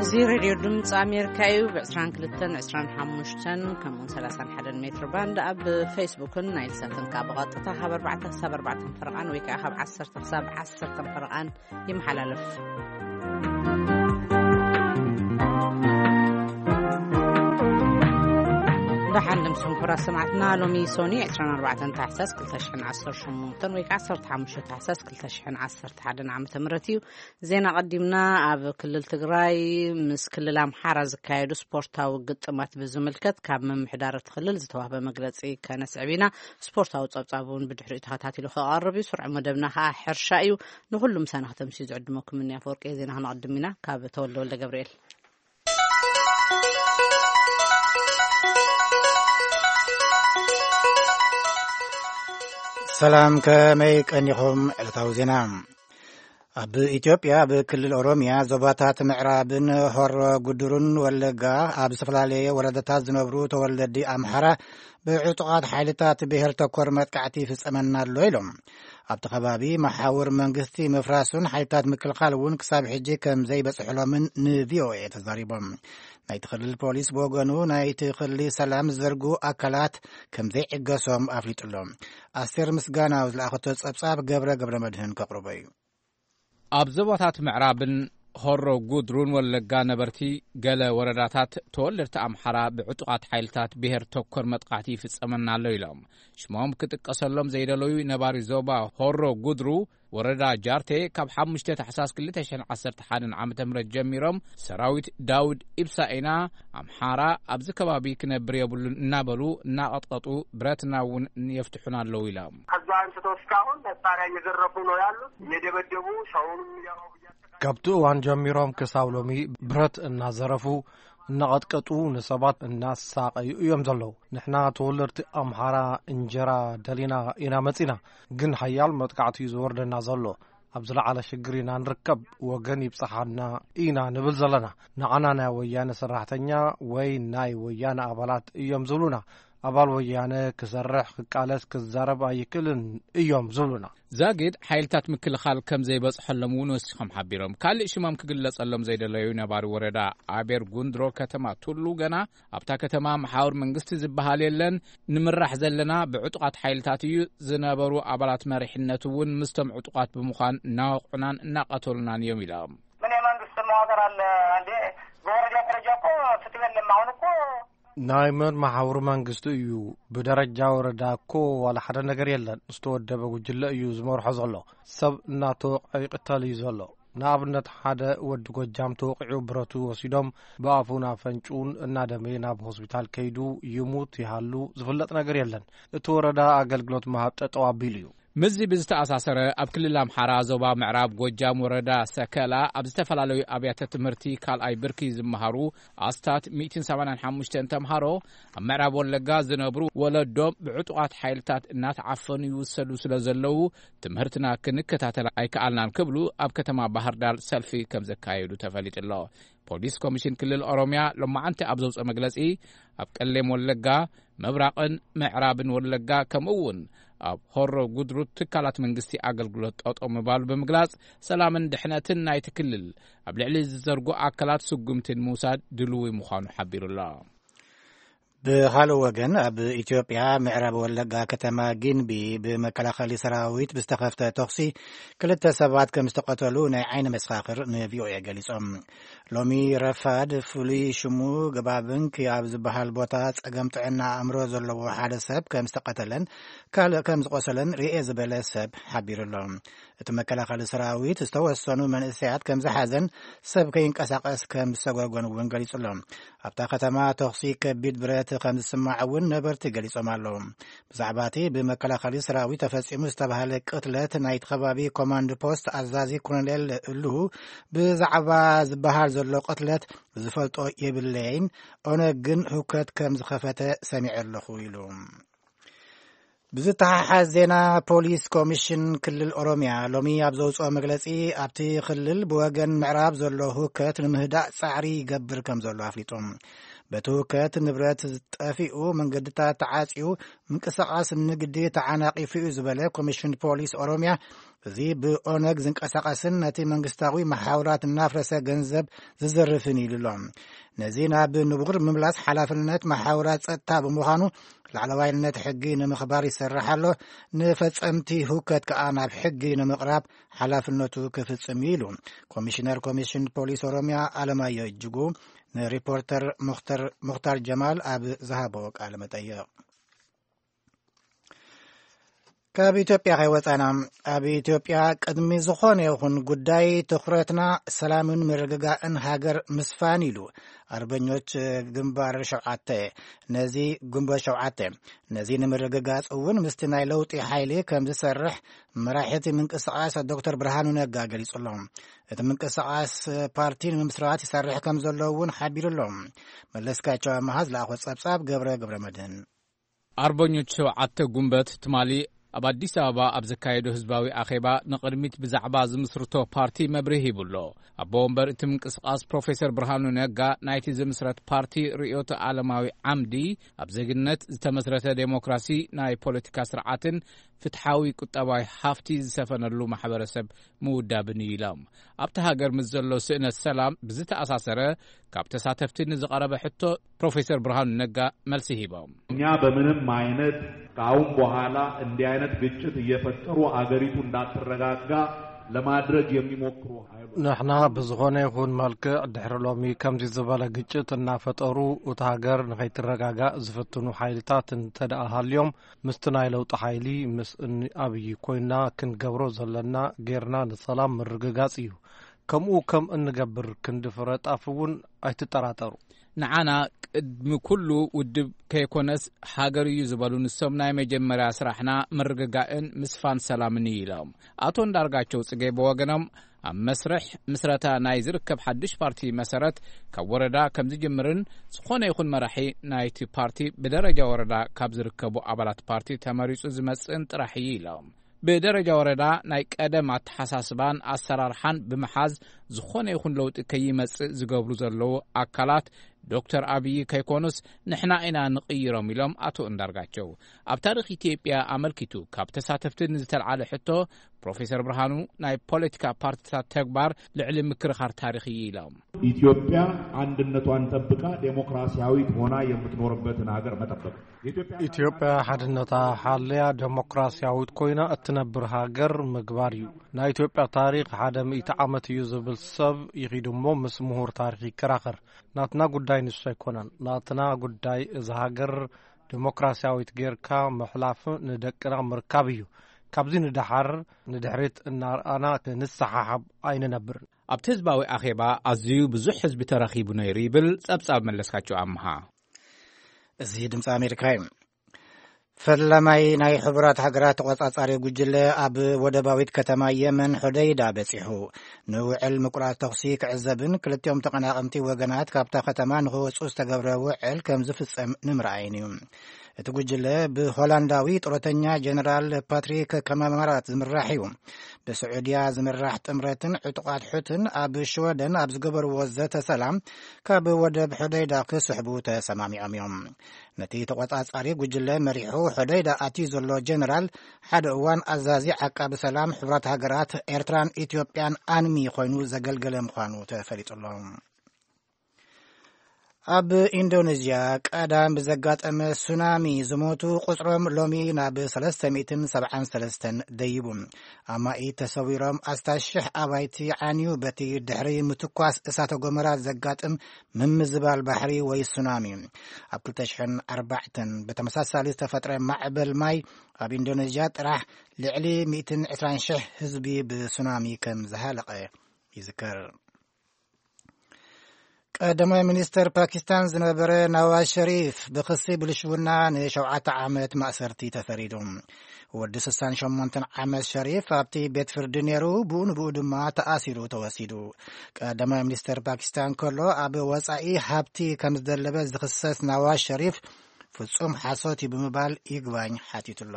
እዚ ሬድዮ ድምፂ ኣሜሪካ እዩ። ብ22፣ 25 ከምኡውን 31 ሜትር ባንድ ኣብ ፌስቡክን ናይል ሳትን ካብ ብቐጥታ ካብ ኣርባዕተ ክሳብ ኣርባዕተ ፈረቓን ወይ ከዓ ካብ ዓሰርተ ክሳብ ዓሰርተ ፈረቓን ይመሓላለፍ። ደሓን ድምፅኹም ክቡራት ሰማዕትና፣ ሎሚ ሶኒ 24 ታሕሳስ 2018 ወይ ከዓ 15 ታሕሳስ 2011 ዓመተ ምህረት እዩ። ዜና ቀዲምና። ኣብ ክልል ትግራይ ምስ ክልል ኣምሓራ ዝካየዱ ስፖርታዊ ግጥማት ብዝምልከት ካብ ምምሕዳር እቲ ክልል ዝተዋህበ መግለጺ ከነስዕብ ኢና። ስፖርታዊ ጸብጻብ እውን ብድሕሪኡ ተኸታቲሉ ክቐርብ እዩ። ስሩዕ መደብና ከኣ ሕርሻ እዩ። ንኹሉ ምሳና ከተምስዩ ዝዕድመኩም እኒ ኣፈወርቂ። ዜና ክነቐድም ኢና። ካብ ተወልደ ወልደ ገብርኤል። ሰላም፣ ከመይ ቀኒኹም? ዕለታዊ ዜና። ኣብ ኢትዮጵያ፣ ኣብ ክልል ኦሮሚያ፣ ዞባታት ምዕራብን ሆሮ ጉድሩን ወለጋ፣ ኣብ ዝተፈላለየ ወረዳታት ዝነብሩ ተወለዲ ኣምሓራ ብዕጡቓት ሓይልታት ብሄር ተኮር መጥቃዕቲ ይፍጸመና ኣሎ ኢሎም። ኣብቲ ከባቢ መሓውር መንግስቲ ምፍራሱን ሓይልታት ምክልኻል እውን ክሳብ ሕጂ ከም ዘይበጽሕሎምን ንቪኦኤ ተዛሪቦም። ናይቲ ክልል ፖሊስ ብወገኑ፣ ናይቲ ክልል ሰላም ዝዘርጉ ኣካላት ከም ዘይዕገሶም ኣፍሊጡ ኣሎ። ኣስቴር ምስጋናው ዝለኣኸቶ ጸብጻብ ገብረ ገብረ መድህን ከቕርቦ እዩ። ኣብ ዞባታት ምዕራብን ሆሮ ጉድሩን ወለጋ ነበርቲ ገለ ወረዳታት ተወለድቲ ኣምሓራ ብዕጡቓት ሓይልታት ብሄር ተኮር መጥቃዕቲ ይፍጸመና ኣሎ ኢሎም። ሽሞም ክጥቀሰሎም ዘይደለዩ ነባሪ ዞባ ሆሮ ጉድሩ ወረዳ ጃርቴ ካብ 5 ታሕሳስ 2011 ዓ.ም ጀሚሮም ሰራዊት ዳውድ ኢብሳ ኢና ኣምሓራ ኣብዚ ከባቢ ክነብር የብሉን እናበሉ እናቐጥቀጡ ብረትና እውን የፍትሑና ኣለዉ ኢሎም። ከዛ አንስቶ እስካሁን መሳሪያ እየዘረፉ ነው ያሉት፣ እየደበደቡ ሰውንም እያረቡ እያሰቃዩ። ካብቲ እዋን ጀሚሮም ክሳብ ሎሚ ብረት እናዘረፉ እናቐጥቀጡ ንሰባት እናሳቐዩ እዮም ዘለዉ። ንሕና ተወለድቲ ኣምሓራ እንጀራ ደሊና ኢና መጺና፣ ግን ሓያል መጥቃዕቲ እዩ ዝወርደና ዘሎ። ኣብ ዝለዓለ ሽግር ኢና ንርከብ። ወገን ይብጽሓና ኢና ንብል ዘለና። ንዓና ናይ ወያነ ሰራሕተኛ ወይ ናይ ወያነ ኣባላት እዮም ዝብሉና። ኣባል ወያነ ክሰርሕ፣ ክቃለስ፣ ክዛረብ ኣይክእልን እዮም ዝብሉና። ዛጊድ ሓይልታት ምክልኻል ከም ዘይበጽሐሎም እውን ወሲኾም ሓቢሮም። ካልእ ሽሞም ክግለጸሎም ዘይደለዩ ነባሪ ወረዳ ኣቤር ጉንድሮ ከተማ ቱሉ ገና ኣብታ ከተማ መሓውር መንግስቲ ዝበሃል የለን፣ ንምራሕ ዘለና ብዕጡቓት ሓይልታት እዩ፣ ዝነበሩ ኣባላት መሪሕነት እውን ምስቶም ዕጡቓት ብምዃን እናወቕዑናን እናቐተሉናን እዮም ኢሎም። ምን የመንግስት መዋቅር አለ እንዴ? በወረዳ ደረጃ እኮ ፍትህ የለም። አሁን እኮ ናይ መን መሓውር መንግስቲ እዩ? ብደረጃ ወረዳ እኮ ዋላ ሓደ ነገር የለን። ዝተወደበ ጉጅለ እዩ ዝመርሖ ዘሎ። ሰብ እናተወቕዐ ይቕተል እዩ ዘሎ። ንኣብነት፣ ሓደ ወዲ ጎጃም ተወቒዑ ብረቱ ወሲዶም ብኣፉን ኣፈንጭኡን እናደመየ ናብ ሆስፒታል ከይዱ ይሙት ይሃሉ ዝፍለጥ ነገር የለን። እቲ ወረዳ ኣገልግሎት ምሃብ ጠጠው ኣቢሉ እዩ። ምስዚ ብዝተኣሳሰረ፣ ኣብ ክልል ኣምሓራ ዞባ ምዕራብ ጎጃም ወረዳ ሰከላ ኣብ ዝተፈላለዩ ኣብያተ ትምህርቲ ካልኣይ ብርኪ ዝመሃሩ ኣስታት 185 ተምሃሮ ኣብ ምዕራብ ወለጋ ዝነብሩ ወለዶም ብዕጡቓት ሓይልታት እናተዓፈኑ ይውሰዱ ስለ ዘለዉ ትምህርትና ክንከታተል ኣይከኣልናን ክብሉ ኣብ ከተማ ባህር ዳር ሰልፊ ከም ዘካየዱ ተፈሊጡ ኣሎ። ፖሊስ ኮሚሽን ክልል ኦሮሚያ ሎማዓንቲ ኣብ ዘውፅኦ መግለፂ፣ ኣብ ቀሌም ወለጋ፣ ምብራቕን ምዕራብን ወለጋ፣ ከምኡ እውን ኣብ ሆሮ ጉድሩ ትካላት መንግስቲ ኣገልግሎት ጠጠው ምባሉ ብምግላፅ፣ ሰላምን ድሕነትን ናይቲ ክልል ኣብ ልዕሊ ዝዘርጉ ኣካላት ስጉምቲ ንምውሳድ ድልዊ ምዃኑ ሓቢሩ ኣሎ። ብኻልእ ወገን፣ ኣብ ኢትዮጵያ ምዕራብ ወለጋ ከተማ ጊንቢ ብመከላኸሊ ሰራዊት ብዝተኸፍተ ተኹሲ ክልተ ሰባት ከም ዝተቐተሉ ናይ ዓይኒ መሰኻኽር ንቪኦኤ ገሊጾም። ሎሚ ረፋድ ፍሉይ ሽሙ ገባብንክ ኣብ ዝበሃል ቦታ ጸገም ጥዕና ኣእምሮ ዘለዎ ሓደ ሰብ ከም ዝተቐተለን ካልእ ከም ዝቆሰለን ርኤ ዝበለ ሰብ ሓቢሩ ኣሎ። እቲ መከላኸሊ ሰራዊት ዝተወሰኑ መንእሰያት ከም ዝሓዘን ሰብ ከይንቀሳቐስ ከም ዝሰጎጎን እውን ገሊጹ ኣሎ። ኣብታ ከተማ ተኹሲ ከቢድ ብረት ከም ዝስማዕ እውን ነበርቲ ገሊጾም ኣለዉ። ብዛዕባ እቲ ብመከላኸሊ ሰራዊት ተፈጺሙ ዝተባህለ ቅትለት ናይቲ ከባቢ ኮማንድ ፖስት ኣዛዚ ኮሎኔል እሉ፣ ብዛዕባ ዝበሃል ዘሎ ቅትለት ዝፈልጦ የብለይን፣ ኦነግ ግን ህውከት ከም ዝኸፈተ ሰሚዐ ኣለኹ ኢሉ። ብዝተሓሓዝ ዜና፣ ፖሊስ ኮሚሽን ክልል ኦሮሚያ ሎሚ ኣብ ዘውፅኦ መግለፂ፣ ኣብቲ ክልል ብወገን ምዕራብ ዘሎ ህውከት ንምህዳእ ጻዕሪ ይገብር ከም ዘሎ ኣፍሊጡ። በቲ ህውከት ንብረት ጠፊኡ፣ መንገድታት ተዓፅዩ፣ ምንቅስቓስ ንግዲ ተዓናቒፉ እዩ ዝበለ ኮሚሽን ፖሊስ ኦሮሚያ፣ እዚ ብኦነግ ዝንቀሳቐስን ነቲ መንግስታዊ መሓውራት እናፍረሰ ገንዘብ ዝዘርፍን ኢሉ ኣሎ። ነዚ ናብ ንቡር ምምላስ ሓላፍነት መሓውራት ጸጥታ ብምዃኑ፣ ላዕለዋይነት ሕጊ ንምኽባር ይሰርሕ ኣሎ፣ ንፈጸምቲ ህውከት ከኣ ናብ ሕጊ ንምቕራብ ሓላፍነቱ ክፍጽም እዩ ኢሉ ኮሚሽነር ኮሚሽን ፖሊስ ኦሮምያ ኣለማዮ እጅጉ ንሪፖርተር ሙኽተር፣ ሙኽታር ጀማል ኣብ ዝሃቦ ቃለ መጠይቕ። ካብ ኢትዮጵያ ከይወጻና፣ ኣብ ኢትዮጵያ ቅድሚ ዝኾነ ይኹን ጉዳይ ትኹረትና ሰላምን ምርግጋእን ሃገር ምስፋን ኢሉ ኣርበኞች ግንባር ሸውዓተ። ነዚ ግንቦት ሸውዓተ፣ ነዚ ንምርግጋጽ እውን ምስቲ ናይ ለውጢ ሓይሊ ከም ዝሰርሕ መራሒ እቲ ምንቅስቓስ ዶክተር ብርሃኑ ነጋ ገሊጹ ኣሎ። እቲ ምንቅስቓስ ፓርቲ ንምምስራት ይሰርሕ ከም ዘሎ እውን ሓቢሩ ኣሎ። መለስካቸው ኣመሃ ዝለኣኾ ጸብጻብ ገብረ ገብረ መድህን። ኣርበኞች ሸውዓተ ጉንበት ትማሊ ኣብ ኣዲስ ኣበባ ኣብ ዘካየዶ ህዝባዊ ኣኼባ ንቕድሚት ብዛዕባ ዝምስርቶ ፓርቲ መብርሂ ሂቡ ኣሎ። ኣቦ ወንበር እቲ ምንቅስቓስ ፕሮፌሰር ብርሃኑ ነጋ ናይቲ ዝምስረት ፓርቲ ርእዮተ ዓለማዊ ዓምዲ ኣብ ዜግነት ዝተመስረተ ዴሞክራሲ ናይ ፖለቲካ ስርዓትን ፍትሓዊ ቁጠባዊ ሃፍቲ ዝሰፈነሉ ማሕበረሰብ ምውዳብን እዩ ኢሎም። ኣብቲ ሃገር ምስ ዘሎ ስእነት ሰላም ብዝተኣሳሰረ ካብ ተሳተፍቲ ንዝቐረበ ሕቶ ፕሮፌሰር ብርሃኑ ነጋ መልሲ ሂቦም። እኛ በምንም አይነት ከአሁን በኋላ እንዲህ አይነት ግጭት እየፈጠሩ አገሪቱ እንዳትረጋጋ ለማድረግ የሚሞክሩ ኃይሎች ንሕና ብዝኾነ ይኹን መልክዕ ድሕሪ ሎሚ ከምዚ ዝበለ ግጭት እናፈጠሩ እታ ሃገር ንኸይትረጋጋእ ዝፍትኑ ሓይልታት እንተ ደኣ ሃልዮም ምስቲ ናይ ለውጢ ሓይሊ ምስ እኒ ኣብይ ኮይና ክንገብሮ ዘለና ጌርና ንሰላም ምርግጋጽ እዩ። ከምኡ ከም እንገብር ክንዲ ፍረ ጣፍ እውን ኣይትጠራጠሩ። ንዓና ቅድሚ ኩሉ ውድብ ከይኮነስ ሃገር እዩ ዝበሉ ንሶም ናይ መጀመርያ ስራሕና ምርግጋእን ምስፋን ሰላምን እዩ ኢሎም። ኣቶ እንዳርጋቸው ጽጌ ብወገኖም ኣብ መስርሕ ምስረታ ናይ ዝርከብ ሓድሽ ፓርቲ መሰረት ካብ ወረዳ ከም ዝጅምርን ዝኾነ ይኹን መራሒ ናይቲ ፓርቲ ብደረጃ ወረዳ ካብ ዝርከቡ ኣባላት ፓርቲ ተመሪጹ ዝመጽእን ጥራሕ እዩ ኢሎም። ብደረጃ ወረዳ ናይ ቀደም ኣተሓሳስባን ኣሰራርሓን ብምሓዝ ዝኾነ ይኹን ለውጢ ከይመጽእ ዝገብሩ ዘለዉ ኣካላት ዶክተር ኣብይ ከይኮኑስ ንሕና ኢና ንቕይሮም ኢሎም ኣቶ እንዳርጋቸው። ኣብ ታሪኽ ኢትዮጵያ ኣመልኪቱ ካብ ተሳተፍቲ ንዝተልዓለ ሕቶ ፕሮፌሰር ብርሃኑ ናይ ፖለቲካ ፓርቲታት ተግባር ልዕሊ ምክርኻር ታሪኽ እዩ ኢሎም። ኢትዮጵያ አንድነቷን ጠብቃ ዴሞክራሲያዊት ሆና የምትኖርበትን ሀገር መጠበቅ። ኢትዮጵያ ሓድነታ ሓለያ ዴሞክራሲያዊት ኮይና እትነብር ሃገር ምግባር እዩ። ናይ ኢትዮጵያ ታሪኽ ሓደ ሚእቲ ዓመት እዩ ዝብል ሰብ ይኺድ እሞ ምስ ምሁር ታሪኽ ይከራኸር። ናትና ጉዳይ ንሱ ኣይኮነን። ናትና ጉዳይ እዛ ሃገር ዴሞክራሲያዊት ጌርካ ምሕላፍ ንደቅና ምርካብ እዩ። ካብዚ ንደሓር ንድሕሪት እናርኣና ክንሰሓሓብ ኣይንነብርን። ኣብቲ ህዝባዊ ኣኼባ ኣዝዩ ብዙሕ ህዝቢ ተረኺቡ ነይሩ ይብል ጸብጻብ መለስካቸው ኣምሃ። እዚ ድምፂ ኣሜሪካ እዩ። ፈላማይ ናይ ሕቡራት ሃገራት ተቖጻጻሪ ጉጅለ ኣብ ወደባዊት ከተማ የመን ሑደይዳ በጺሑ ንውዕል ምቁራጽ ተኹሲ ክዕዘብን ክልቲኦም ተቐናቐንቲ ወገናት ካብታ ከተማ ንኽወጹ ዝተገብረ ውዕል ከም ዝፍጸም ንምርኣይን እዩ። እቲ ጉጅለ ብሆላንዳዊ ጡረተኛ ጀነራል ፓትሪክ ካማማራት ዝምራሕ እዩ። ብስዑድያ ዝምራሕ ጥምረትን ዕጡቓት ሑትን ኣብ ሽወደን ኣብ ዝገበርዎ ዘተ ሰላም ካብ ወደብ ሑደይዳ ክስሕቡ ተሰማሚዖም እዮም። ነቲ ተቖጻጻሪ ጉጅለ መሪሑ ሑደይዳ ኣትዩ ዘሎ ጀነራል ሓደ እዋን ኣዛዚ ዓቃቢ ሰላም ሕቡራት ሃገራት ኤርትራን ኢትዮጵያን ኣንሚ ኮይኑ ዘገልገለ ምዃኑ ተፈሊጡ ኣሎ። ኣብ ኢንዶኔዥያ ቀዳም ብዘጋጠመ ሱናሚ ዝሞቱ ቁጽሮም ሎሚ ናብ ሰለስተ ሚእትን ሰብዓን ሰለስተን ደይቡ። ኣማኢት ተሰዊሮም፣ ኣስታት ሽሕ ኣባይቲ ዓንዩ በቲ ድሕሪ ምትኳስ እሳተ ጎመራ ዘጋጥም ምምዝባል ባሕሪ ወይ ሱናሚ። ኣብ ክልተ ሽሕን ኣርባዕተን ብተመሳሳሊ ዝተፈጥረ ማዕበል ማይ ኣብ ኢንዶኔዥያ ጥራሕ ልዕሊ ሚእትን ዕስራን ሽሕ ህዝቢ ብሱናሚ ከም ዝሃለቐ ይዝከር። ቀዳማይ ሚኒስተር ፓኪስታን ዝነበረ ናዋዝ ሸሪፍ ብኽሲ ብልሽውና ንሸውዓተ ዓመት ማእሰርቲ ተፈሪዱ። ወዲ ስሳን ሸሞንተን ዓመት ሸሪፍ ኣብቲ ቤት ፍርዲ ነይሩ፣ ብኡ ንብኡ ድማ ተኣሲሩ ተወሲዱ። ቀዳማይ ሚኒስተር ፓኪስታን ከሎ ኣብ ወጻኢ ሃብቲ ከም ዝደለበ ዝኽሰስ ናዋዝ ሸሪፍ ፍጹም ሓሶት እዩ ብምባል ይግባኝ ሓቲቱ ኣሎ።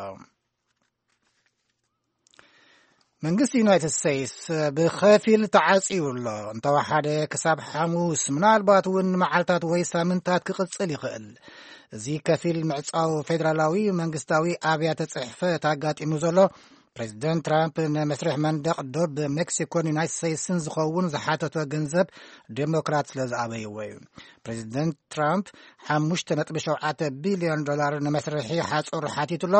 መንግስቲ ዩናይትድ ስቴትስ ብኸፊል ተዓጽዩ ኣሎ። እንተወሓደ ክሳብ ሓሙስ፣ ምናልባት እውን መዓልታት ወይ ሳምንታት ክቕጽል ይኽእል። እዚ ከፊል ምዕጻው ፌደራላዊ መንግስታዊ ኣብያተ ጽሕፈት ኣጋጢሙ ዘሎ ፕሬዚደንት ትራምፕ ንመስርሕ መንደቕ ዶብ ሜክሲኮን ዩናይትድ ስቴትስን ዝኸውን ዝሓተቶ ገንዘብ ዴሞክራት ስለ ዝኣበይዎ እዩ። ፕሬዚደንት ትራምፕ ሓሙሽተ ነጥቢ ሸውዓተ ቢልዮን ዶላር ንመስርሒ ሓጹር ሓቲቱ ኣሎ።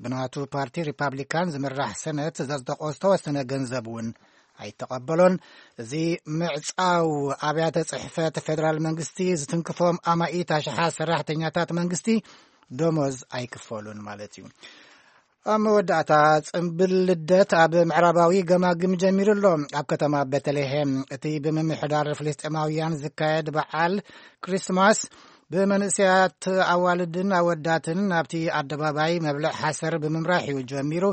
ብናቱ ፓርቲ ሪፓብሊካን ዝምራሕ ሰነት ዘጽደቆ ዝተወሰነ ገንዘብ እውን ኣይተቐበሎን። እዚ ምዕጻው ኣብያተ ጽሕፈት ፌደራል መንግስቲ ዝትንክፎም ኣማኢት ኣሽሓት ሰራሕተኛታት መንግስቲ ደሞዝ ኣይክፈሉን ማለት እዩ። ኣብ መወዳእታ፣ ጽምብል ልደት ኣብ ምዕራባዊ ገማግም ጀሚሩ ኣሎ። ኣብ ከተማ ቤተልሔም እቲ ብምምሕዳር ፍልስጤማውያን ዝካየድ በዓል ክሪስማስ ብመንእሰያት ኣዋልድን ኣወዳትን ኣብቲ ኣደባባይ መብልዕ ሓሰር ብምምራሕ እዩ ጀሚሩ።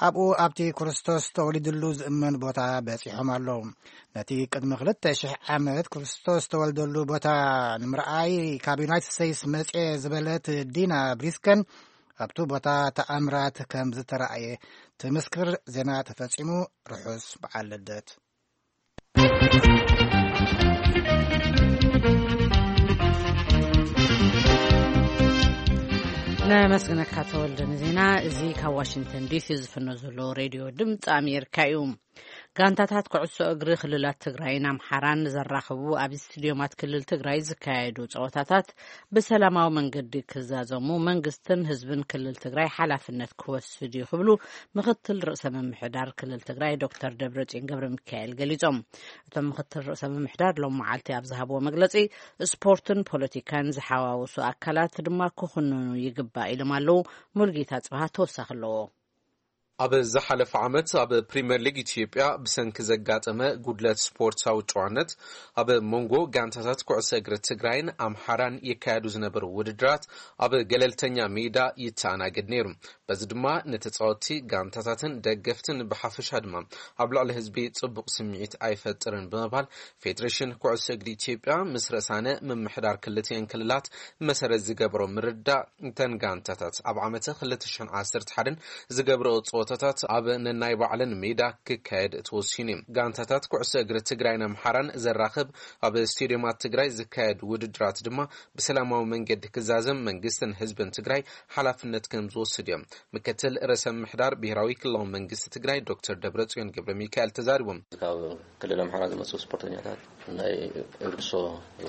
ኣብኡ ኣብቲ ክርስቶስ ተወሊድሉ ዝእመን ቦታ በጺሖም ኣለዉ። ነቲ ቅድሚ ክልተ ሽሕ ዓመት ክርስቶስ ተወልደሉ ቦታ ንምርኣይ ካብ ዩናይትድ ስቴትስ መጽኤ ዝበለት ዲና ብሪስከን ኣብቲ ቦታ ተኣምራት ከም ዝተራእየ ትምስክር። ዜና ተፈጺሙ። ርሑስ በዓል ልደት። ነመስግነካ ተወልደ ንዜና። እዚ ካብ ዋሽንግተን ዲሲ ዝፍኖ ዘሎ ሬድዮ ድምፂ ኣሜሪካ እዩ። ጋንታታት ኩዕሶ እግሪ ክልላት ትግራይን ኣምሓራን ዘራኽቡ ኣብ ስቴዲዮማት ክልል ትግራይ ዝካየዱ ፀወታታት ብሰላማዊ መንገዲ ክዛዘሙ መንግስትን ህዝብን ክልል ትግራይ ሓላፍነት ክወስድ እዩ ክብሉ ምክትል ርእሰ ምምሕዳር ክልል ትግራይ ዶክተር ደብረጽዮን ገብረ ሚካኤል ገሊጾም። እቶም ምክትል ርእሰ ምምሕዳር ሎም መዓልቲ ኣብ ዝሃብዎ መግለጺ፣ ስፖርትን ፖለቲካን ዝሓዋወሱ ኣካላት ድማ ክኹንኑ ይግባእ ኢሎም ኣለዉ። ሙልጌታ ጽብሃ ተወሳኺ ኣለዎ። ኣብ ዝሓለፈ ዓመት ኣብ ፕሪምየር ሊግ ኢትዮጵያ ብሰንኪ ዘጋጠመ ጉድለት ስፖርታዊ ጨዋነት ኣብ መንጎ ጋንታታት ኩዕሶ እግሪ ትግራይን ኣምሓራን ይካየዱ ዝነበሩ ውድድራት ኣብ ገለልተኛ ሜዳ ይተኣናገድ ነይሩ። በዚ ድማ ንተጻወትቲ ጋንታታትን ደገፍትን ብሓፈሻ ድማ ኣብ ልዕሊ ህዝቢ ጽቡቕ ስምዒት ኣይፈጥርን ብምባል ፌዴሬሽን ኩዕሶ እግሪ ኢትዮጵያ ምስ ርእሳነ ምምሕዳር ክልቲኤን ክልላት መሰረት ዝገበሮ ምርዳእ እተን ጋንታታት ኣብ ዓመተ ክልተ ሽሕን ዓሰርተ ሓደን ዝገብረኦ ጸወታታት ኣብ ነናይ ባዕለን ሜዳ ክካየድ ተወሲኑ እዩ። ጋንታታት ኩዕሶ እግሪ ትግራይን ኣምሓራን ዘራኽብ ኣብ ስቴዲየማት ትግራይ ዝካየድ ውድድራት ድማ ብሰላማዊ መንገዲ ክዛዘም መንግስትን ህዝብን ትግራይ ሓላፍነት ከም ዝወስድ እዮም ምክትል ርእሰ ምምሕዳር ብሄራዊ ክልላዊ መንግስቲ ትግራይ ዶክተር ደብረጽዮን ገብረ ሚካኤል ተዛሪቦም። ካብ ክልል ኣምሓራ ዝመፁ ስፖርተኛታት ናይ እግሪ ኩዕሶ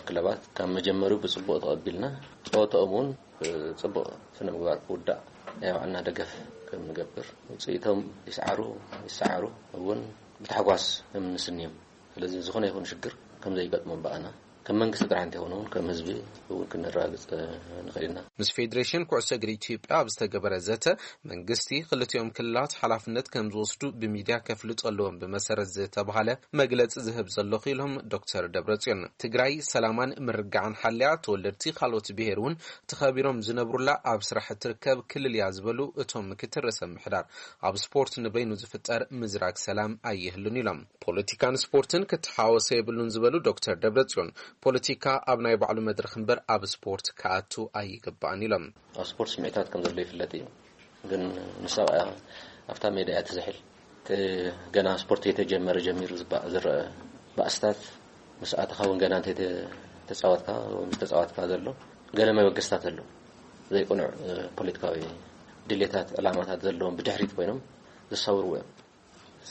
ክለባት ካብ መጀመሪያው ብፅቡቅ ተቐቢልና፣ ፀወታኦም እውን ብፅቡቅ ስነ ምግባር ክውዳእ ናይ ባዕልና ደገፍ ከም ንገብር፣ ውፅኢቶም ይስዓሩ ይሰዓሩ እውን ብታሕጓስ ከም ንስንዮም። ስለዚ ዝኾነ ይኹን ሽግር ከም ዘይገጥሞም ብኣና ከም መንግስቲ ጥራሕ እንተይኮነ እውን ከም ህዝቢ እውን ክነረጋግፅ ንኽእል ኢና። ምስ ፌዴሬሽን ኩዕሶ እግሪ ኢትዮጵያ ኣብ ዝተገበረ ዘተ፣ መንግስቲ ክልቲኦም ክልላት ሓላፍነት ከም ዝወስዱ ብሚድያ ከፍልጡ ኣለዎም ብመሰረት ዝተባሃለ መግለፂ ዝህብ ዘለኹ ኢሎም ዶክተር ደብረጽዮን። ትግራይ ሰላማን ምርግጋዕን ሓልያ፣ ተወለድቲ ካልኦት ብሄር እውን ተኸቢሮም ዝነብሩላ ኣብ ስራሕ እትርከብ ክልል እያ ዝበሉ እቶም ምክትል ርእሰ ምምሕዳር፣ ኣብ ስፖርት ንበይኑ ዝፍጠር ምዝራግ ሰላም ኣይህሉን ኢሎም። ፖለቲካን ስፖርትን ክተሓወሰ የብሉን ዝበሉ ዶክተር ደብረጽዮን፣ ፖለቲካ ኣብ ናይ ባዕሉ መድረኽ እምበር ኣብ ስፖርት ክኣቱ ኣይግባእን ኢሎም። ኣብ ስፖርት ስምዒታት ከም ዘሎ ይፍለጥ እዩ። ግን ንሳ ኣብኣ ኣብታ ሜዳ እያ ትዝሕል። እቲ ገና ስፖርት የተጀመረ ጀሚሩ ዝባ-፣ ዝረአ ባእስታት ምስ ኣተኻ እውን ገና እንተ ተጻወትካ ወይ ምስ ተጻወትካ ዘሎ ገለ መበገስታት ኣሎ። ዘይቅኑዕ፣ እ፣ ፖለቲካዊ ድሌታት፣ ዕላማታት ዘለዎም ብድሕሪት ኮይኖም ዝሳውርዎ እዮም።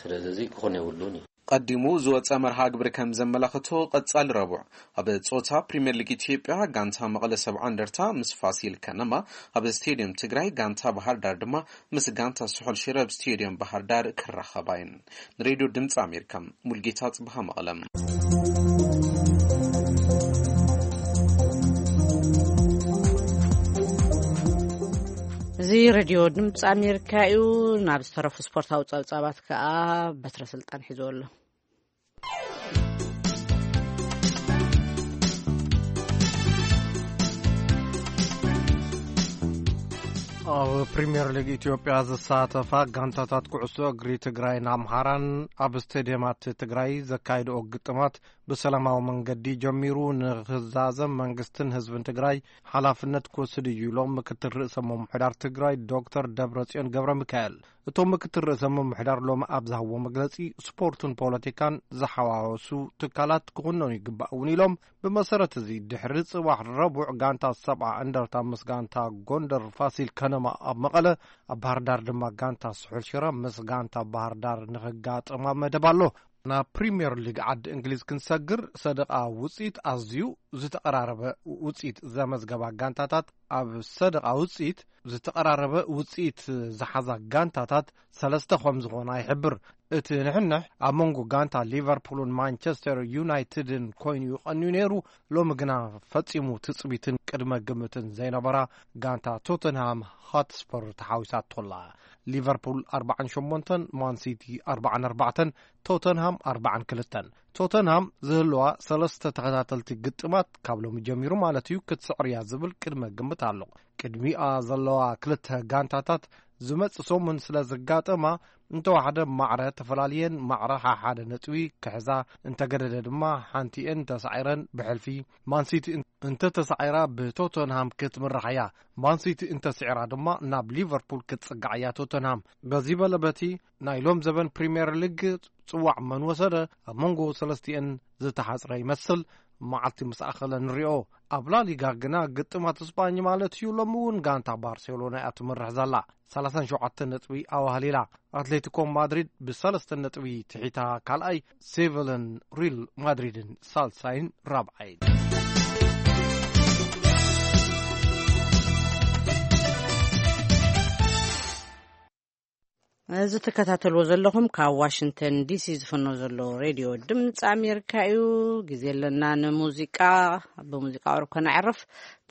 ስለዚ እዚ ክኾን የብሉን እዩ። ቀዲሙ ዝወጸ መርሃ ግብሪ ከም ዘመላኽቶ፣ ቀጻሊ ረቡዕ ኣብ ጾታ ፕሪምየር ሊግ ኢትዮጵያ ጋንታ መቐለ ሰብዓ እንደርታ ምስ ፋሲል ከነማ ኣብ ስቴዲየም ትግራይ፣ ጋንታ ባህር ዳር ድማ ምስ ጋንታ ስሑል ሽረ ኣብ ስቴዲየም ባህር ዳር ክራኸባ እየን። ንሬድዮ ድምፂ ኣሜሪካ፣ ሙልጌታ ጽብሃ መቐለ። እዚ ሬድዮ ድምፂ ኣሜሪካ እዩ። ናብ ዝተረፉ ስፖርታዊ ጸብጻባት ከኣ በትረ ስልጣን ሒዝዎ ኣሎ። ኣብ ፕሪምየር ሊግ ኢትዮጵያ ዝሳተፋ ጋንታታት ኩዕሶ እግሪ ትግራይን ኣምሓራን ኣብ ስቴድየማት ትግራይ ዘካይድኦ ግጥማት ብሰላማዊ መንገዲ ጀሚሩ ንክዛዘም መንግስትን ህዝብን ትግራይ ሓላፍነት ክወስድ እዩ ኢሎም ምክትል ርእሰ ምምሕዳር ትግራይ ዶክተር ደብረጽዮን ገብረ ሚካኤል። እቶም ምክትል ርእሰ ምምሕዳር ሎሚ ኣብ ዝሃብዎ መግለጺ፣ ስፖርትን ፖለቲካን ዝሓዋወሱ ትካላት ክኹነኑ ይግባእ እውን ኢሎም። ብመሰረት እዚ፣ ድሕሪ ጽባሕ ረቡዕ ጋንታ ሰብዓ እንደርታ ምስ ጋንታ ጎንደር ፋሲል ከነማ ኣብ መቐለ፣ ኣብ ባህር ዳር ድማ ጋንታ ስሑል ሽረ ምስ ጋንታ ባህር ዳር ንኽጋጠማ መደብ ኣሎ። ናብ ፕሪምየር ሊግ ዓዲ እንግሊዝ ክንሰግር፣ ሰደቓ ውፅኢት ኣዝዩ ዝተቐራረበ ውፅኢት ዘመዝገባ ጋንታታት፣ ኣብ ሰደቓ ውፅኢት ዝተቐራረበ ውፅኢት ዝሓዛ ጋንታታት ሰለስተ ከም ዝኾና ይሕብር። እቲ ንሕንሕ ኣብ መንጎ ጋንታ ሊቨርፑልን ማንቸስተር ዩናይትድን ኮይኑ እዩ ቀንዩ ነይሩ። ሎሚ ግና ፈጺሙ ትጽቢትን ቅድመ ግምትን ዘይነበራ ጋንታ ቶተንሃም ሆትስፐር ተሓዊሳቶላ። ሊቨርፑል ኣርብዓን ሸሞንተን፣ ማን ሲቲ ኣርብዓን ኣርባዕተን፣ ቶተንሃም ኣርብዓን ክልተን። ቶተንሃም ዝህልዋ ሰለስተ ተኸታተልቲ ግጥማት ካብ ሎሚ ጀሚሩ ማለት እዩ ክትስዕር እያ ዝብል ቅድመ ግምት ኣሎ። ቅድሚኣ ዘለዋ ክልተ ጋንታታት ዝመጽእ ሰሙን ስለ ዝጋጠማ፣ እንተወሓደ ማዕረ ተፈላልየን ማዕረ ሓሓደ ነጥቢ ክሕዛ፣ እንተገደደ ድማ ሓንቲኤን ተሳዒረን ብሕልፊ ማንሲቲ እንተተሳዒራ ብቶተንሃም ክትምራሕ እያ። ማንሲቲ እንተስዒራ ድማ ናብ ሊቨርፑል ክትጽጋዕ እያ ቶተንሃም። በዚ በለ በቲ ናይ ሎም ዘበን ፕሪምየር ሊግ ጽዋዕ መን ወሰደ ኣብ መንጎ ሰለስቲኤን ዝተሓጽረ ይመስል። መዓልቲ ምስ ኣኸለ ንሪኦ። ኣብ ላሊጋ ግና ግጥማት ስጳኝ ማለት እዩ። ሎሚ እውን ጋንታ ባርሴሎና እያ ትምርሕ ዘላ። ሰላሳን ሸውዓተ ነጥቢ ኣዋህሊላ። ኣትሌቲኮ ማድሪድ ብሰለስተ ነጥቢ ትሒታ ካልኣይ፣ ሴቨልን ሪል ማድሪድን ሳልሳይን ራብዓይን። እዚ ትከታተልዎ ዘለኹም ካብ ዋሽንግተን ዲሲ ዝፍኖ ዘሎ ሬድዮ ድምፂ ኣሜሪካ እዩ። ግዜ ኣለና ንሙዚቃ። ብሙዚቃ ቅሩብ ከነዕርፍ።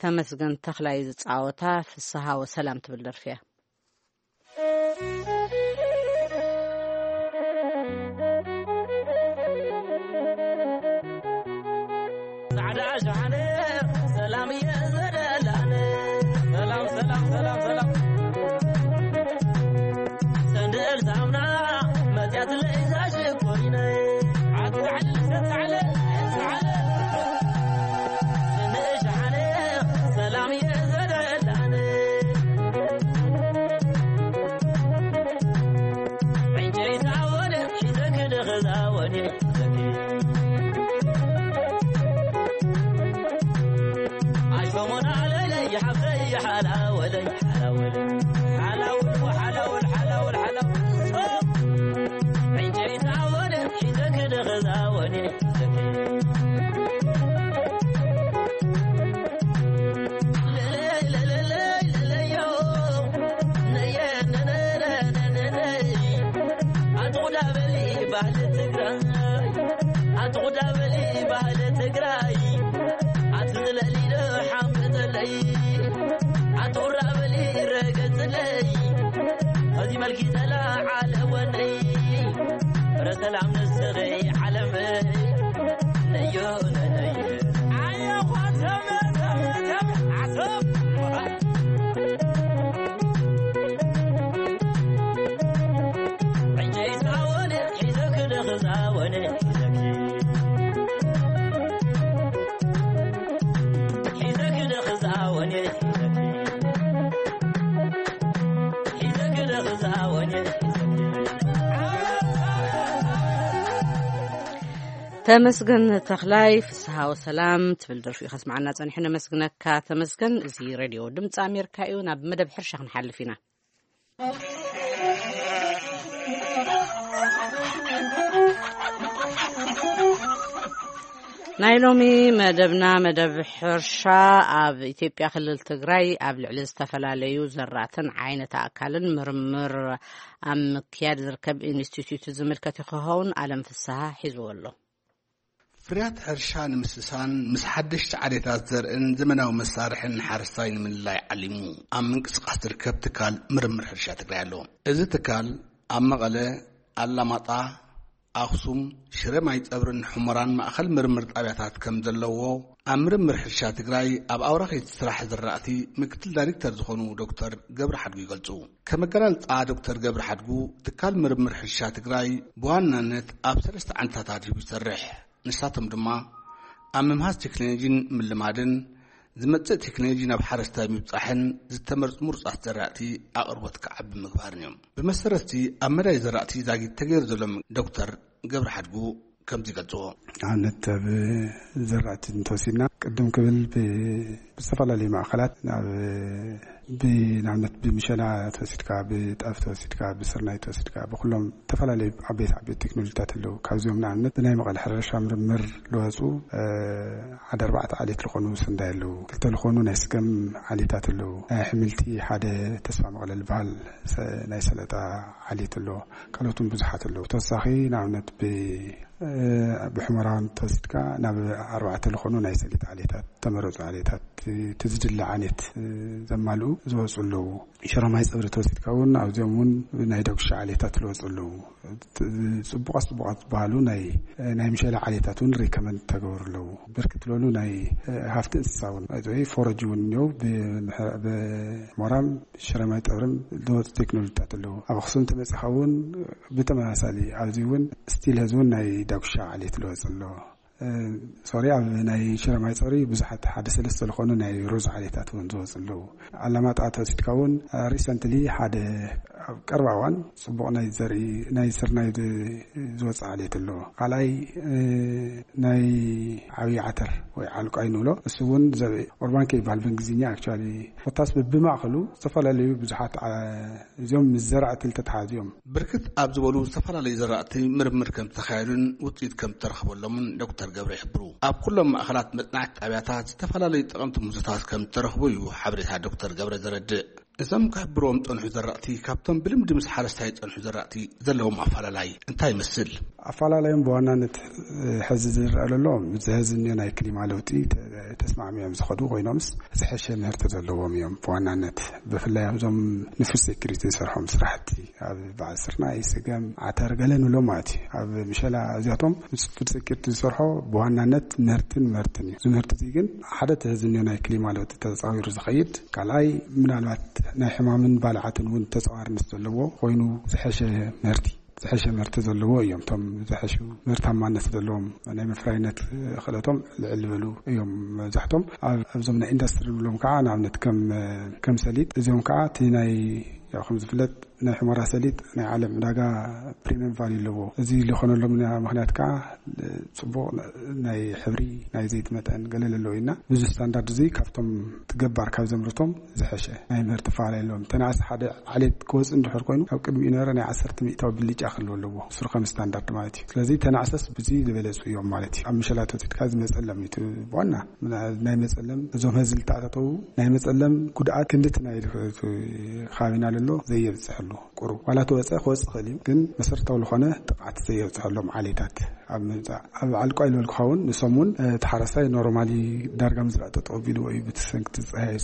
ተመስገን ተኽላይ ዝፃወታ ፍስሃ ወሰላም ትብል ደርፊ እያ። ጻዕዳ ሸሓነ ሰላም እየ ዘደላነ። ሰላም፣ ሰላም፣ ሰላም፣ ሰላም። ሰንደል ሳሙና መጽያት ለይዛ ሽኮሪነ። ዓትዓል፣ ሰትዓለ፣ ሰዓለ። ስንሻነ ሰላም እየ ዘደላነ። ዕንጨይታ ወደ ሒዘ ክደኸዛ ወደ ሒዘኪ። ኣሽኮሞና ለለ ይሓፍተይ ሓላወለይ ሓላወለይ። ሓላውል ሓላውል ሓላውል ሓላውል። ዕንጨይታ ወደ ሒዘ ክደኸዛ ወደ ሒዘኪ። ኣትቑዳበሊ ባህሊ ትግራይ፣ ኣትቑዳበሊ ባህሊ ትግራይ፣ ኣትዝለሊ ዶ ሓምበጠለይ፣ ኣትቑራበሊ ረገፅለይ፣ ኸዚ መልኪ ተላዓለ ወነይ፣ ፍረ ሰላም ንስኺ ዓለመይ። ነዮ ነነየ። ኣየኳ ተመ ተመ ተመ ኣቶም። ዕንጨይታ ወነ ሒዘ ክደኽዛ ወነ ሒዘኪ። ሒዘ ክደኽዛ ወነ ሒዘኪ። ሒዘ ክደኽዛ ወነ ሒዘኪ። ተመስገን ተኽላይ፣ ፍስሃ ወሰላም ትብል ደርፊ እዩ ከስምዓና ጸኒሑ። ነመስግነካ ተመስገን። እዚ ሬድዮ ድምፂ ኣሜሪካ እዩ። ናብ መደብ ሕርሻ ክንሓልፍ ኢና። ናይ ሎሚ መደብና መደብ ሕርሻ። ኣብ ኢትዮጵያ ክልል ትግራይ ኣብ ልዕሊ ዝተፈላለዩ ዘራእትን ዓይነት ኣእካልን ምርምር ኣብ ምክያድ ዝርከብ ኢንስቲትዩት ዝምልከት ክኸውን ኣለም ፍስሃ ሒዝዎ ኣሎ። ፍርያት ሕርሻ ንምስሳን ምስ ሓደሽቲ ዓሌታት ዘርእን ዘመናዊ መሳርሕን ሓረስታይ ንምልላይ ዓሊሙ ኣብ ምንቅስቃስ ዝርከብ ትካል ምርምር ሕርሻ ትግራይ ኣሎ። እዚ ትካል ኣብ መቐለ፣ ኣላማጣ፣ ኣኽሱም፣ ሽረ ማይ ጸብርን ሑመራን ማእኸል ምርምር ጣብያታት ከም ዘለዎ ኣብ ምርምር ሕርሻ ትግራይ ኣብ ኣውራኺት ስራሕ ዝራእቲ ምክትል ዳይሬክተር ዝኾኑ ዶክተር ገብረ ሓድጉ ይገልጹ። ከም ኣገላልጻ ዶክተር ገብረ ሓድጉ፣ ትካል ምርምር ሕርሻ ትግራይ ብዋናነት ኣብ ሰለስተ ዓንድታት ኣድሂቡ ይሰርሕ። ንሳቶም ድማ ኣብ ምምሃዝ ቴክኖሎጂን ምልማድን፣ ዝመጽእ ቴክኖሎጂ ናብ ሓረስታይ ምብጻሕን ዝተመርጹ ምሩጻት ዘራእቲ ኣቕርቦት ክዓቢ ምግባርን እዮም። ብመሰረትቲ ኣብ መዳይ ዘራእቲ ዛጊት ተገይሩ ዘሎ ዶክተር ገብረ ሓድጉ ከምዚ ይገልጽዎ። ኣብነት ኣብ ዘራእቲ እንተወሲድና ቅድም ክብል ብ- ብዝተፈላለዩ ማእኸላት ናብ ብንኣብነት ብምሸላ ተወሲድካ፣ ብጣፍ ተወሲድካ፣ ብስርናይ ተወሲድካ፣ ብኩሎም ዝተፈላለዩ ዓበይቲ ዓበይቲ ቴክኖሎጂታት ኣለዉ። ካብዚኦም ንኣብነት ብናይ መቐለ ሕርሻ ምርምር ለወፁ ሓደ ኣርባዕተ ዓሌት ዝኾኑ ስንዳይ ኣለዉ። ክልተ ዝኾኑ ናይ ስገም ዓሌታት ኣለዉ። ናይ ኣሕምልቲ ሓደ ተስፋ መቐለ ዝበሃል ሰ- ናይ ሰለጣ ዓሌት ኣለዎ። ካልኦት እውን ብዙሓት ኣለዉ። ተወሳኺ ንኣብነት ብ ብሕሞራውን ተወሲድካ ናብ ኣርባዕተ ዝኾኑ ናይ ሰሊጥ ዓሌታት፣ ተመረፁ ዓሌታት፣ እቲ ዝድለ ዓሌት ዘማልኡ ዝወፁ ኣለዉ። ሽረማይ ፀብሪ ተወሲድካ እውን ኣብዚኦም እውን ናይ ዳጉሻ ዓሌታት ዝወፁ ኣለዉ። ፅቡቓት ፅቡቓት ዝበሃሉ ናይ ናይ ምሸላ ዓሌታት እውን ሪከመንድ ተገብሩ ኣለዉ። ብርክት ዝበሉ ናይ ሃፍቲ እንስሳ እውን ወይ ፎረጅ እውን እኒው ብሞራም ሽረማይ ጠብርን ዝወፁ ቴክኖሎጂታት ኣለዉ። ኣብ ኣኽሱም ተመፂኻ እውን ብተመሳሳሊ ኣብዚ እውን ስቲል ህዝቢ እውን ናይ ዳጉሻ ዓሌት ዝወፅ ኣሎ። ሶሪ ኣብ ናይ ሽረማይ ፀሪ ብዙሓት ሓደ ሰለስተ ዝኾኑ ናይ ሩዝ ዓሌታት እውን ዝወፁ ኣለዉ። ኣላማጣ ተወሲድካ እውን ሪሰንትሊ ሓደ ኣብ ቀርባ እዋን ፅቡቕ ናይ ዘርኢ ናይ ስርናይ ዝወፅእ ዓሌት ኣሎ። ካልኣይ ናይ ዓብዪ ዓተር ወይ ዓልቋይ ንብሎ እሱ እውን ዘርኢ ኦርባንኬ ይበሃል ብእንግሊዝኛ። ኣክቹዋሊ ኮታስ ብማእኸሉ ዝተፈላለዩ ብዙሓት እዚኦም ምስ ዘራእቲ ዝተተሓዙ እዮም። ብርክት ኣብ ዝበሉ ዝተፈላለዩ ዘራእቲ ምርምር ከም ዝተኻየዱን ውፅኢት ከም ዝተረኽበሎምን ዶክተር ገብረ ይሕብሩ። ኣብ ኩሎም ማእኸላት መፅናዕቲ ጣብያታት ዝተፈላለዩ ጠቐምቲ ምህዞታት ከም ዝተረኽቡ እዩ ሓበሬታ ዶክተር ገብረ ዘረድእ። እዞም ክሕብርዎም ዝፀንሑ ዘራእቲ ካብቶም ብልምዲ ምስ ሓረስታይ ዝፀንሑ ዘራእቲ ዘለዎም ኣፈላላይ እንታይ ይመስል? ኣፈላላዮም ብዋናነት ሕዚ ዝረኣ ዘሎ፣ እዚ ሕዚ እኒኦ ናይ ክሊማ ለውጢ ተስማዕሚዮም ዝኸዱ ኮይኖምስ ዝሐሸ ምህርቲ ዘለዎም እዮም። ብዋናነት ብፍላይ ኣብዞም ንፉድ ሴኩሪቲ ዝሰርሖም ስራሕቲ ኣብ በዓል ስርናይ፣ ስገም፣ ዓተር ገለ ንብሎም ማለት እዩ። ኣብ ምሸላ እዚኣቶም ምስ ፉድ ሴኩሪቲ ዝሰርሖ ብዋናነት ምህርትን ምህርትን እዩ። እዚ ምህርቲ እዚ ግን ሓደ ተህዝንዮ ናይ ክሊማ ለውጢ ተፃዊሩ ዝኸይድ፣ ካልኣይ ምናልባት ናይ ሕማምን ባልዓትን እውን ተፃዋርነት ዘለዎ ኮይኑ ዝሐሸ ምህርቲ ዝሐሸ ምህርቲ ዘለዎ እዮም። እቶም ዝሐሹ ምህርታማነት ዘለዎም ናይ መፍራይነት ክእለቶም ልዕል ዝበሉ እዮም። መብዛሕቶም ኣብዞም ናይ ኢንዱስትሪ ንብሎም ከዓ ንኣብነት ከም ከም ሰሊጥ እዚኦም ከዓ እቲ ናይ ያው ከም ዝፍለጥ ናይ ሑመራ ሰሊጥ ናይ ዓለም ዕዳጋ ፕሪሚየም ቫልዩ ኣለዎ። እዚ ዝኾነሎም ምክንያት ከዓ ፅቡቕ ናይ ሕብሪ ናይ ዘይት መጠን ገለ ዘለዎ ኢና። ብዙ ስታንዳርድ እዚ ካብቶም ትገባር ካብ ዘምርቶም ዝሐሸ ናይ ምህርቲ ፋላ የለዎም። ተናእሰ ሓደ ዓሌት ክወፅእ እንድሕር ኮይኑ ካብ ቅድሚኡ ነበረ ናይ ዓሰርተ ሚእታዊ ብልጫ ክህልዎ ኣለዎ። ስሩ ከም ስታንዳርድ ማለት እዩ። ስለዚ ተናእሰስ ብዚ ዝበለፁ እዮም ማለት እዩ። ኣብ ምሸላት ወፂድካ ዝመፀለም እዩ እቲ ዋና ናይ መፀለም እዞም ህዝቢ ዝተኣታተው ናይ መፀለም ጉድኣት ክንድቲ ናይ ከባቢና ለሎ ዘየብፅሐሉ ቁሩብ ዋላ ተወፀ ክወፅእ ክእል እዩ። ግን መሰረታዊ ዝኾነ ጥቕዓት ዘየብፅሐሎም ዓሌታት ኣብ ምምፃእ ኣብ ዓልቋ ኢልበልኩኻ እውን ንሶም እውን እቲ ሓረስታይ ኖርማሊ ዳርጋ ምዝራእ ጠጠው ቢልዎ እዩ ብትሰንክቲ ፀሃይ።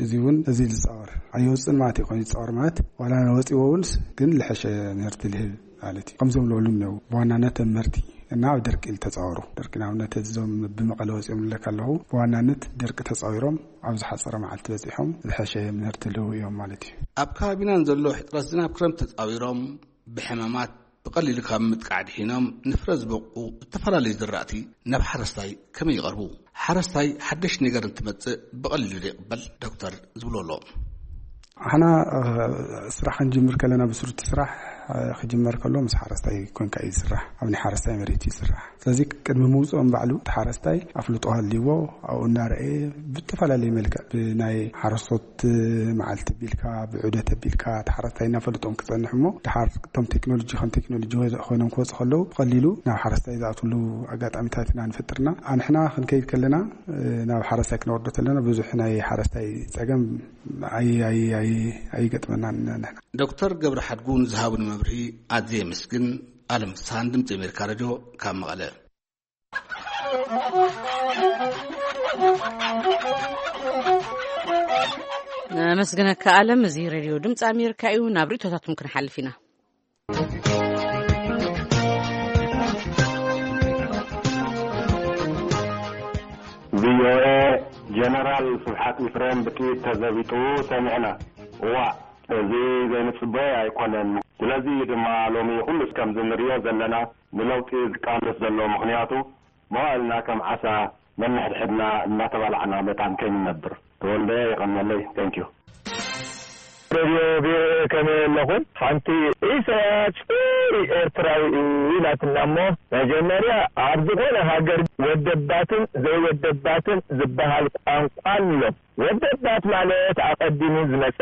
እዚ እውን እዚ ዝፃወር ኣየውፅን ማለት እዩ። ኮይኑ ዝፃወር ማለት ዋላ ወፂዎ እውን ግን ልሐሸ ምህርቲ ልህብ ማለት እዩ። ከምዞም ዝበሉ እነው ብዋናነት ኣብ ምህርቲ እና ኣብ ደርቂ ዝተፃወሩ ደርቂ ንኣብነት እዞም ብመቐለ ወፂኦም ልለካ ኣለኹ ብዋናነት ደርቂ ተፃዊሮም ኣብ ዝሓፀረ መዓልቲ በፂሖም ዝሐሸ ምህርቲ ልህቡ እዮም ማለት እዩ። ኣብ ከባቢና ንዘሎ ሕፅረት ዝናብ ክረምቲ ተፃዊሮም ብሕማማት ብቐሊሉ ካብ ምጥቃዕ ድሒኖም ንፍረ ዝበቁ ዝተፈላለዩ ዝራእቲ ናብ ሓረስታይ ከመይ ይቐርቡ? ሓረስታይ ሓደሽ ነገር እንትመፅእ ብቐሊሉ ዶ ይቕበል? ዶክተር ዝብሎ ኣሎ። ኣሕና ስራሕ ክንጅምር ከለና ብስሩቲ ስራሕ ክጅመር ከሎ ምስ ሓረስታይ ኮንካ እዩ ዝስራሕ። ኣብ ናይ ሓረስታይ መሬት እዩ ዝስራሕ። ስለዚ ቅድሚ ምውፅኦም ባዕሉ እቲ ሓረስታይ ኣፍልጦ ሃልይዎ ኣብኡ እናረኣየ ብዝተፈላለየ መልክዕ ብናይ ሓረስቶት መዓልቲ ቢልካ ብዑደት ቢልካ እቲ ሓረስታይ እናፈልጦም ክፀንሕ እሞ ድሓር እቶም ቴክኖሎጂ ከም ቴክኖሎጂ ኮይኖም ክወፁ ከለዉ ብቐሊሉ ናብ ሓረስታይ ዝኣትሉ ኣጋጣሚታት ኢና ንፈጥርና። ኣንሕና ክንከይድ ከለና ናብ ሓረስታይ ክነወርዶ ከለና ብዙሕ ናይ ሓረስታይ ፀገም ኣይገጥመናን። ንሕና ዶክተር ገብረ ሓድጉ ንዝሃቡኒ መብርሂ ኣዝየ የመስግን። ኣለም ፍስሃን ድምፂ ኣሜሪካ ሬድዮ ካብ መቐለ። ነመስግነካ ኣለም። እዚ ሬድዮ ድምፂ ኣሜሪካ እዩ። ናብ ርእቶታትኩም ክንሓልፍ ኢና። ቪኦኤ፣ ጀነራል ስብሓት ኢፍሬም ብጥይት ተዘቢጡ ሰሚዕና። እዋእ፣ እዚ ዘይንጽበዮ ኣይኮነን። ስለዚ እዩ ድማ ሎሚ ኩሉ ከም እንርእዮ ዘለና። ንለውጢ ዝቃለስ ዘሎ። ምኽንያቱ መዋእልና ከም ዓሳ ነንሕድሕድና እናተባላዕና መታን ከይንነብር። ተወልደ፣ የቐንየለይ። Thank you። ሬድዮ ቪኦኤ፣ ከመይ ኣለኹም? ሓንቲ ኢሳያስ ጽሩይ ኤርትራዊ እዩ ኢላትና እሞ፣ መጀመርያ ኣብ ዝኾነ ሃገር ወደባትን ዘይወደባትን ዝበሃል ቋንቋ ኣሎ። ወደባት ማለት ኣቐዲሙ ዝመጸ፣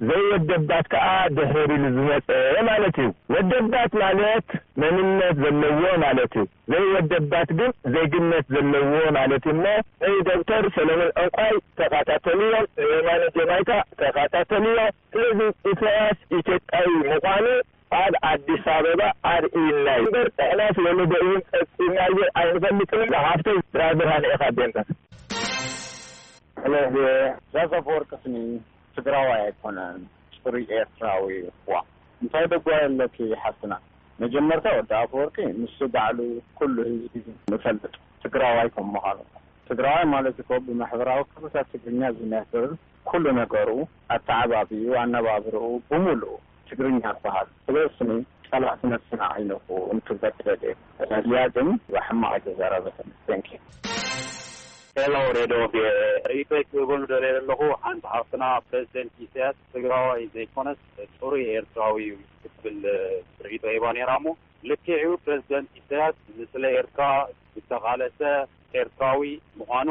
ዘይወደባት ከኣ ድሕር ኢሉ ዝመጸ ማለት እዩ። ወደባት ማለት መንነት ዘለዎ ማለት እዩ። ዘይወደባት ግን ዜግነት ዘለዎ ማለት እዩ። እሞ ንዶክተር ሰለሞን ዕንቋይ ተኸታተልዮ፣ ንየማነ ጀማይካ ተኸታተልዮ። ስለዚ ኢሳያስ ኢትዮጵያዊ ምዃኑ ኣብ ኣዲስ ኣበባ ኣርእዩና እዩ። እምበር ንሕናስ ወለዶ እውን ፈጺምናዮ ኣይንፈልጥን። ሃብተይ ብርሃነ ኢኻ ዴንበር። ሄሎ፣ ዛዛ ኣፈወርቂ ስኒ ትግራዋይ ኣይኮነን፣ ጽሩይ ኤርትራዊ እኳ። እንታይ ደጓ ኣለኪ ሓፍትና? መጀመርታ ወዲ ኣፈወርቂ ንሱ ባዕሉ ኩሉ ህዝቢ ንፈልጥ ትግራዋይ ከም ምዃኑ። ትግራዋይ ማለት እኮ ብማሕበራዊ ክብርታት ትግርኛ ዝነብር፣ ኩሉ ነገሩ፣ ኣተዓባብዩ፣ ኣነባብርኡ ብምሉኡ ትግርኛ ዝበሃል። ስለስኒ ጸላእቲ ነብስና ኣይነኹ እንትበድለድ እያ ግን ብሕማቕ ኣይተዛረበትን። Thank you። ሄሎ ሬድዮ ቪኦኤ፣ ርእይቶይ ክህበሉ ደልየ ዘለኹ፣ ሓንቲ ሓፍትና ፕሬዚደንት ኢሳያስ ትግራዋይ ዘይኮነስ ጽሩይ ኤርትራዊ እዩ ክትብል ርእይቶ ሂባ ነይራ። እሞ ልክዕ እዩ፣ ፕሬዚደንት ኢሳያስ ንስለ ኤርትራ ዝተቓለሰ ኤርትራዊ ምዃኑ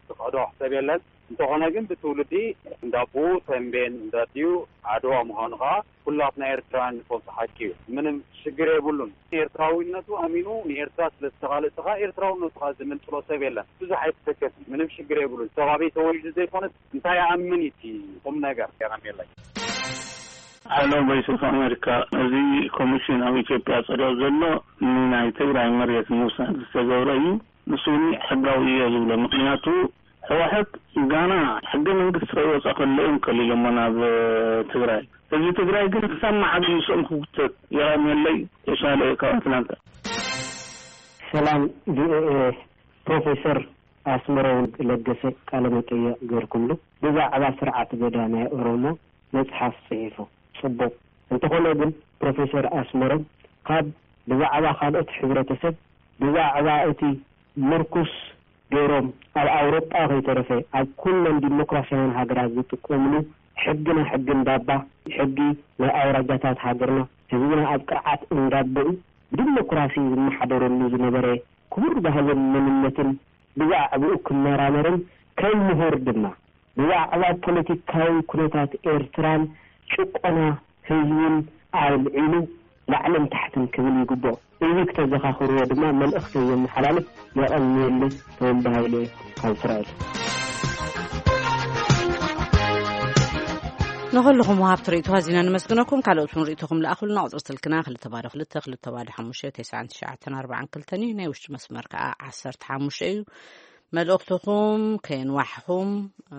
ትኽሕዶ ሕሰብ የለን። እንተኾነ ግን ብትውልዲ እንዳቦኡ ተንቤን እንዳዲኡ ዓድዋ ምዃኑ ከዓ ኩላትና ኤርትራውያን ንፈልጦ ሓቂ እዩ። ምንም ሽግር የብሉን። ኤርትራዊነቱ ኣሚኑ ንኤርትራ ስለ ዝተቓለሰ ከዓ ኤርትራውነቱ ከዓ ዝምንጥሎ ሰብ የለን። ብዙሕ ኣይትሰከፊ፣ ምንም ሽግር የብሉን። ሰብ ኣበይ ተወሊዱ ዘይኮነስ እንታይ ይኣምን እዩ እቲ ቁም ነገር። የቐንየለይ። ሄሎ ቮይስ ኦፍ ኣሜሪካ፣ እዚ ኮሚሽን ኣብ ኢትዮጵያ ጸዲቑ ዘሎ ንናይ ትግራይ መሬት ምውሳድ ዝተገብረ እዩ። ንሱ እውን ሕጋዊ እየ ዝብሎ። ምኽንያቱ ህወሓት ጋና ሕገ መንግስቲ ከይወፀ ከሎ እዮም ከሊሎሞ ናብ ትግራይ። ህዝቢ ትግራይ ግን ክሳብ መዓዝ ምስኦም ክጉተት? የቐንየለይ። ተሻለ ካብ ኣትላንታ። ሰላም ቪኦኤ፣ ፕሮፌሰር ኣስመሮም ለገሰ ቃለ መጠየቕ ገርኩምሉ። ብዛዕባ ስርዓት ገዳ ናይ ኦሮሞ መጽሓፍ ጽሒፉ። ጽቡቕ። እንተኾነ ግን ፕሮፌሰር ኣስመሮም ካብ ብዛዕባ ካልኦት ሕብረተሰብ፣ ብዛዕባ እቲ ምርኩስ ገይሮም ኣብ ኣውሮጳ ከይተረፈ ኣብ ኩለን ዲሞክራሲያውያን ሃገራት ዝጥቀምሉ ሕግና ሕግን ባባ፣ ሕጊ ናይ ኣውራጃታት ሃገርና፣ ህዝብና ኣብ ቅርዓት እንዳበኡ ብዲሞክራሲ ዝመሓደረሉ ዝነበረ ክቡር ባህልን መንነትን ብዛዕባኡ ክመራመርን ከም ምሁር ድማ ብዛዕባ ፖለቲካዊ ኩነታት ኤርትራን ጭቆና ህዝቡን ኣልዒሉ ላዕልን ታሕትን ክብል ይግብኦ። እዚ ክተዘኻኽርዎ ድማ መልእኽተይ የመሓላልፍ። የቐንየለይ። ተወልደ ሃይለ ካብ እስራኤል። ንኹልኹም ወሃብቲ ርእይቶ ኣዚና ነመስግነኩም። ካልኦት እውን ርእይቶኹም ለኣኹልና። ቁጽሪ ስልክና ክልተ ባዶ ክልተ፣ ክልተ ባዶ ሓሙሽተ፣ ተስዓን ትሽዓተን ኣርባዓን ክልተን እዩ። ናይ ውሽጢ መስመር ከኣ ዓሰርተ ሓሙሽተ እዩ። መልእኽትኹም ከየንዋሕኹም፣ እ፣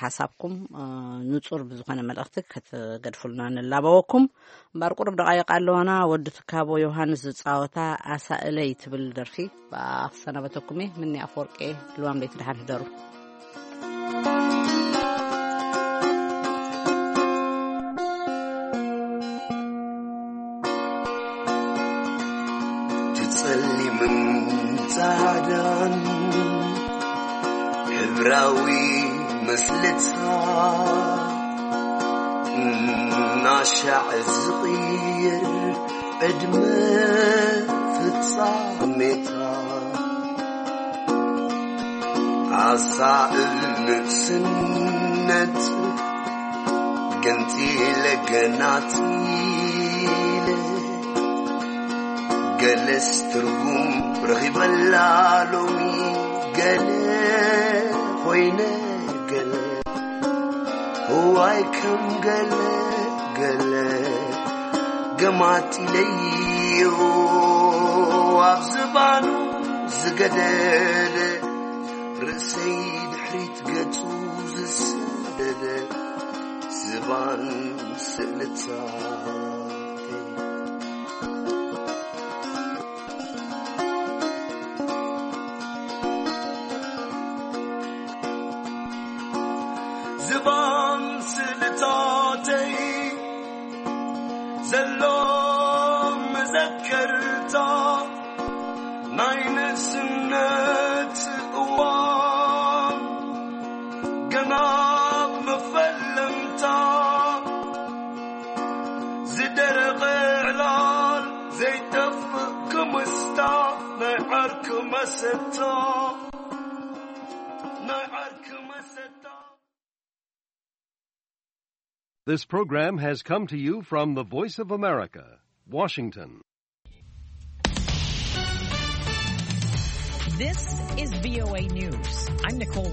ሓሳብኩም፣ እ፣ ንጹር ብዝኾነ መልእኽቲ ክትገድፉልና ንላበወኩም። እምበር ቁሩብ ደቓይቕ ኣለዋና። ወዲ ትካቦ ዮሃንስ ዝጻወታ ኣሳእለይ ትብል ደርፊ ብኣ ክሰናበተኩም እየ። ምኒ ኣፈወርቂ፣ ልዋም ለይቲ ደሓን ሕደሩ። ትጸሊምን ጻዕዳን ሕብራዊ ምስልታ እናሻዕ ዝቕይር ዕድመ ፍጻሜታ ኣሳእል ንእስነት ገንጺለ ገናጺለ ገለስ ትርጉም ረኺበላ ሎሚ ገለ ኮይነ ገለ እዋይ ከም ገለ ገለ ገማጢለዮ ኣብ ዝባኑ ዝገደደ ርእሰይ ድሕሪት ገጹ ዝሰደደ ዝባን ስእልታተይ ዝባን ስእልታተይ ዘሎ መዘከርታ እዋን ገና መፈለምታ ዝደረቐ ዕላል ዘይጠፍእ ክምስታ ናይ ዓርኪ መሰታ ናይ ዓርኪ መሰታ። This program has come to you from the Voice of America, Washington. This is V O A News. I'm Nicole